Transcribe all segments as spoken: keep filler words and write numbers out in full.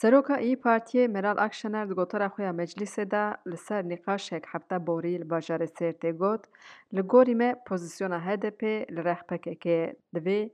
Seroka İYİ Partiyê Meral Akşener di gotara xwe ya meclîsê de li ser nîqaşek hefte borî li bajarê Sêrtê got, Li gorî me pozîsyona H D P li rex P K K divê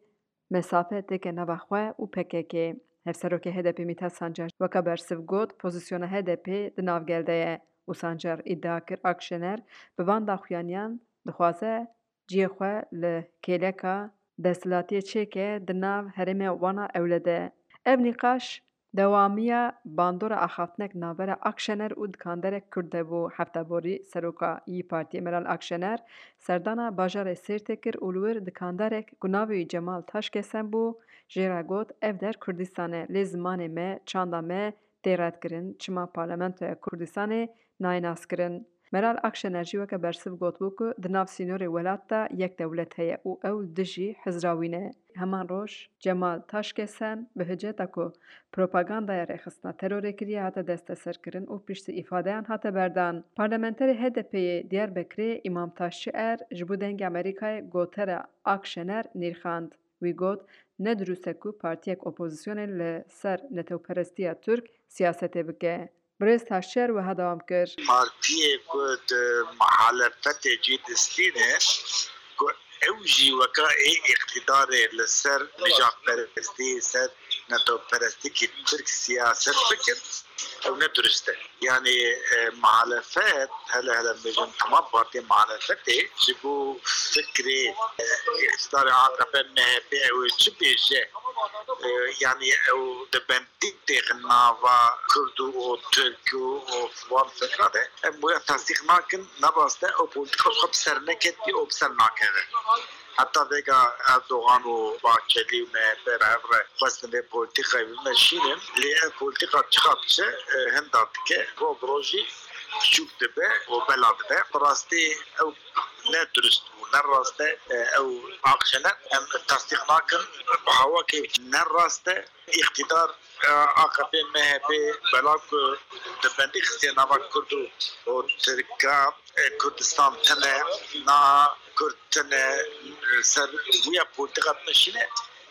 mesafe têke nava xwe û P K K. Hevserokê H D P Mîthat Sancar weke bersiv got, pozîsyona H D P di nav gel de ye û Sancar îdia kir Akşener bi van daxuyaniyan dixwaze cihê xwe li kêleka desthilatiyê çêke di nav herêmê wana ewle de. Ev nîqaş dewamiya bandora axaftinek navbera Akşener û dikanderek Kurd de bû. Hefta borî seroka İYİ Partiyê Meral Akşener serdana bajarê Sêrtê kir û li wir dikanderek ku navê wî Cemal Taşkesen bû, jê re got, Ev der Kurdistan e, lê zimanê me, çanda me tê redkirin, çima Parlamentoya Kurdistanê nayê naskirin? Meral Akşener jî weke bersiv gotibû ku di nav sînorê welat de yek dewlet heye û ew li dijî hizra wî ne. Heman roj Cemal Taşkesen bi hiceta ku propagandaya rêxistina terorê kiriye hate desteserkirin û piştî îfadeyan hate berdan. Parlamenterê H D P'ê Diyarbekirê Îmam Taşçi Er ji bo Dengê Amerîkayê gotera Akşener nirxand. Wî got, Ne dirust e ku partiyek opozisyonê li ser netewperestiya Tirk siyasetê bike. Birêz Taşçer wiha dewam kir. Partiyê ku di muhalefetê cî distîne, ku ew jî weka ê îqtîdarê li ser nijadperestî, ser netewperestîkî Tirk siyaset bikin, ew ne dirust e. Yanî, e, muhalefet, hele hele bêjin, hema partiyên muhalefetê ji bo fikrê, e, îqtîdarê A K P M H P ew ê çi bêje, e, yanî ew di bendî têxin nava Kurd û, û Tirk û, û wan fikra de. Em wê tasdîq nakin, ne rast e, ew polîtîka xwe bi ser neketî û bi ser nakeve. Heta vêga Erdogan û Bahçelî û M H P re hev re xwestin vê polîtîkayê bimeşînin, lê ev polîtîka çiqa diçe, e, hinda dike, roj bi rojî biçûk dibe û bela dibe. Bi rastî ew ne dirust bû, ne rast e, e, ew Akşener. Em tasdîq nakin, bi hawakê ne rast e. Îqtîdar, e, A K P M H P bela ku di bendî xistiye nava Kurd û, û Tirka, e, Kurdistan tune, na Kurd tune, e, ser wîya polîtîka bimeşîne,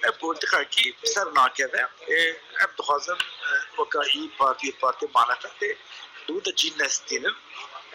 ev polîtîkakî bi ser nakeve. E, em dixwazin, e, weka İYİ Partî, partî muhalefetê, di wî de cî nestînin.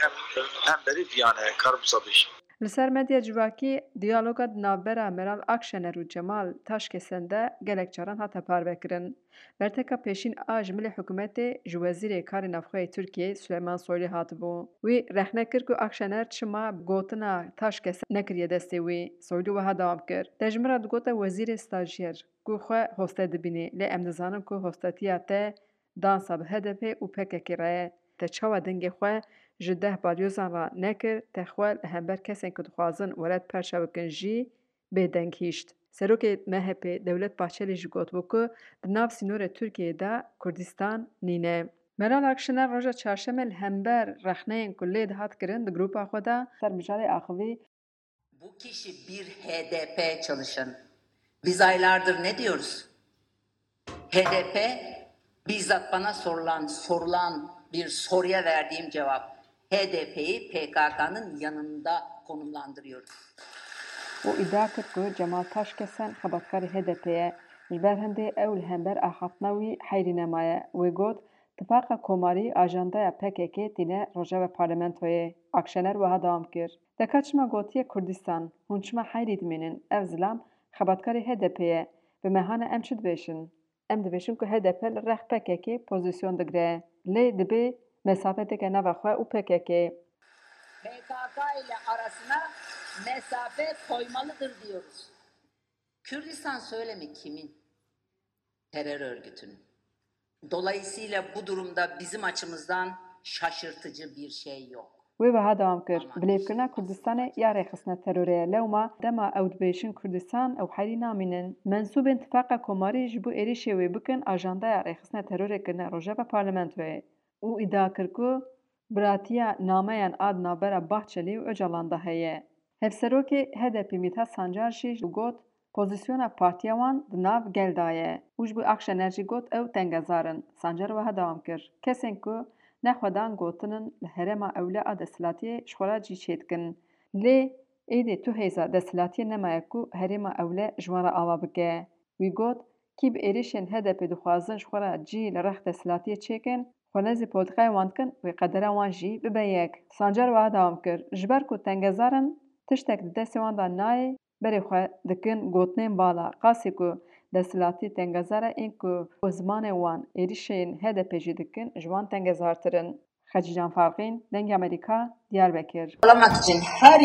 Em, e, hemberî viyan e, karim wisa bêjim. Li ser medya civakî, diyaloga di navbera Meral Akşener û Cemal Taşkesen de gelek caran hate parvekirin. Berteka pêşîn a ji milê hikûmetê ji Wezîrê Karê Navxwe yê Tirkiyeyê Suleyman Soylî hatibû. Wî rexne kir ku Akşener çima gotina Taşkesen nekiriye destê wî. Soylî wiha dewam kir, Te ji min re digote wezîrê stajyer, ku xwe hoste dibînî, lê em dizanin ku hostetiya te dansa bi H D P û P K K re ye. Te çawa dengê xwe ji deh balyozan re nekir, te xwe li hember kesên ku dixwazin welat perçe bikin jî bêdeng hişt. Serokê M H P Dewlet Bahçelî jî gotibû ku di nav sînorê Tirkiyeyê de Kurdistan nîne. Meral Akşener roja çarşemê li hember rexneyên ku lê dihat kirin di grupa xwe de ser mijarê axivî. Bu kişi bir H D P çalışan. Biz aylardır ne diyoruz? H D P bizzat bana sorulan, sorulan bir soruya verdiğim cevap. H D P'yi P K K'nın yanında konumlandırıyorum. Û îdia kir ku Cemal Taşkesen xebatkarê H D P ye. Ji ber hindê ew li hember axaftina wî heyrî nemaye. Wê got, Tifaqa Komarî ajandaya P K K tîne rojeva parlamentoyê. Akşener wiha dewam kir, Te ka çima gotiye Kurdistan? Hûn çima heyrî dimînin? Ev zilam xebatkarê H D P ye. Bi me hane em çi dibêjin? Em dibêjin ku H D P li rex P K K pozîsyon digire. Lê dibê mesafe têke nava xwe û P K K. P K K ile arasına mesafe koymalıdır diyoruz. Kürdistan söylemi kimin? Terör örgütünün. Dolayısıyla bu durumda bizim açımızdan şaşırtıcı bir şey yok. Wê wiha dewam kir, Ama Bilêvkirina Kurdistanê ya rêxistina terorê ye. Lewma dema ew dibêjin Kurdistan, ew heyrî namînin. Mensûbên Tifaqa Komarî ji bo êrîşê wê bikin ajandaya rêxistina terorê kirine rojeva parlamentoyê û îdia kir ku biratiya nameyan a di navbera Bahçelî û Ocalan de heye. Hevserokê H D P Mîthat Sancar jî got, Pozîsyona partiya wan di nav gel de ye û ji bo Akşener jî got ew tengezar in. Sancar wiha dewam kir, Kesên ku nexwedan gotinin li herêma ewle a desthilatiyê ji xwe re cî çêdikin. Lê êdî tu hêza desthilatiyê nemaye ku herêma ewle ji wan re ava bike. Wî got, kî bi êrîşên H D P dixwazin ji xwe re cî li rex desthilatiyê çêkin, xwe nêzî polîtîkayê wan dikin, wê qedera wan jî bibe yek. Sancar wiha dewam kir, ji ber ku tengezar in, tiştek di destê wan de nayê, berê xwe dikin gotinên bala. Qasî ku desthilatî tengezar e, ên ku zimanê wan êrîşên H D P jî dikin, ji wan tengezartir in. Xecîcan Farqîn, Dengê Amerîka, Diyarbekir. Alamak için her